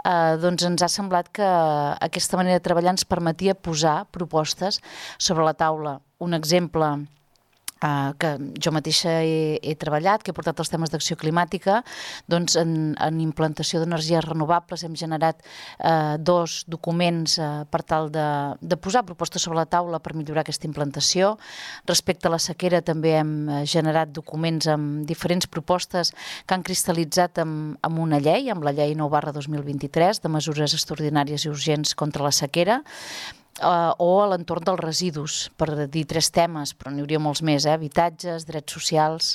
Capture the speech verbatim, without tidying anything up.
eh, doncs ens ha semblat que aquesta manera de treballar ens permetia posar propostes sobre la taula. Un exemple Uh, que jo mateixa he, he treballat, que he portat els temes d'acció climàtica, doncs en, en implantació d'energies renovables hem generat uh, dos documents uh, per tal de, de posar propostes sobre la taula per millorar aquesta implantació. Respecte a la sequera també hem generat documents amb diferents propostes que han cristal·litzat amb, amb una llei, amb la llei nou barra dos mil vint-i-tres de mesures extraordinàries i urgents contra la sequera, Uh, o a l'entorn dels residus, per dir tres temes, però n'hi hauria molts més, eh? Habitatges, drets socials.